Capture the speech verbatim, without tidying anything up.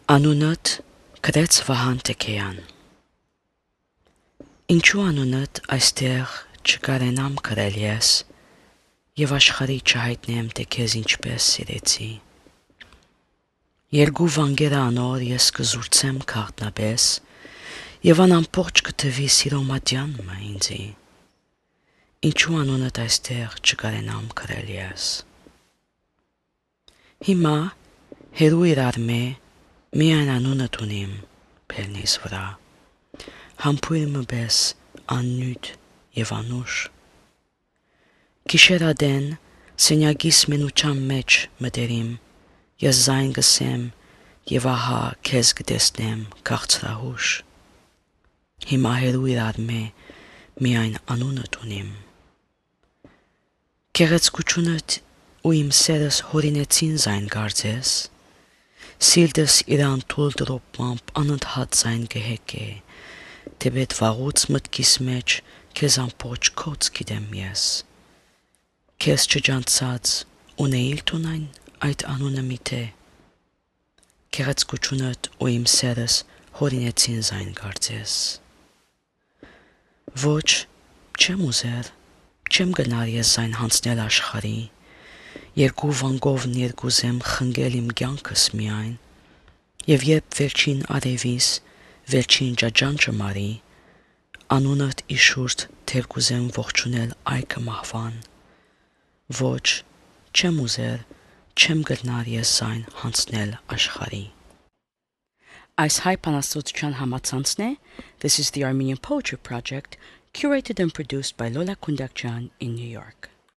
Անունդ գրեց Վահան Տեքեյան։ Ինչու անունդ այստեղ չկարենամ գրել ես և աշխարհի չհայտնեմ, թե քեզ ինչպես սիրեցի։ Երկու վանգերը անոր ես կզուրցեմ քաղտնաբես և անամպորճ կթվի սիրո մատյանն ինձի։ Ինչու անունդ այստեղ չկարենամ գրել ես։ Հիմա հերու իրար մե միայն անունդ ունիմ բերնիս վրա, համբույր մպես աննյութ և անուշ։ Գիշեր ադեն սենյակիս մենության մեջ մտերիմ, ես զայն գսեմ և ահա քեզ կտեսնեմ քաղցրահուշ։ Հիմա հերու իրար մե միայն անունդ ունիմ։ Գեղեցկությունդ ու իմ սերս հորինեցին զայն կարծես, սիրտս իր անթույլ տրոփմամբ անընդհատ զայն կհեկե, թեպետ վաղուց մտքիս մեջ քեզ ամբողջ քոց գիտեմ ես։ Քեզ չջանցած ունեի՞լ տունայն այդ անունը միթե։ Գեղեցկությունդ ու իմ սերս հորինեցին զայն կարծես։ Ոչ, չեմ ուզեր, չեմ գնար ես զայն հանձնել աշխարհի, երկու վանգովն երկուզեմ խնգել իմ կյանքս միայն, և երբ վերջին արևիս վերջին ճաճանճը մարի, անունդ իշուրդ թեր կուզեմ ողջունել այգը մահվան։ Ոչ, չեմ ուզեր, չեմ գնար ես զայն հանձնել աշխարհի։ Այս հայ բանաստեղծության համացանցն է This is the Armenian Poetry Project, curated and produced by Lola Kundakjian in New York.